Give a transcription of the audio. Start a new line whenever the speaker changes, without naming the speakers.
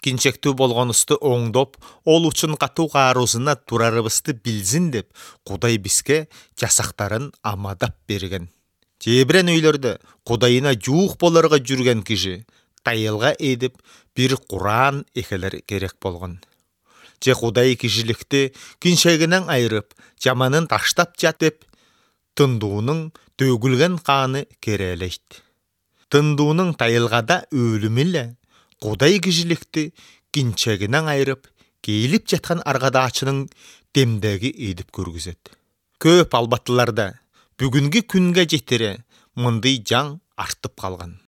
кинчектүү болгонубузду оңдоп, ол үчүн катуу каарусуна турарыбызды билсин деп, Кудай бизге жасактарын амадап берген. Жебирен үйлөрдө Кудайына жуук болорго жүрген киши тайылга эдип бир Куран экелер керек болгон. Же Кудай кишиликти кинчегинен айырып, жаманын таштап жат деп, тындуунун төгүлгөн каны керелейт. Тындуунун тайылгада өлүмү эле Кудай кишиликти кинчегинен айырып, кейилип жаткан аргадаачынын демдеги эдип көргүзөт. Көп албаттыларда бүгүнкү күнгө жетире мындай жаң артып калган.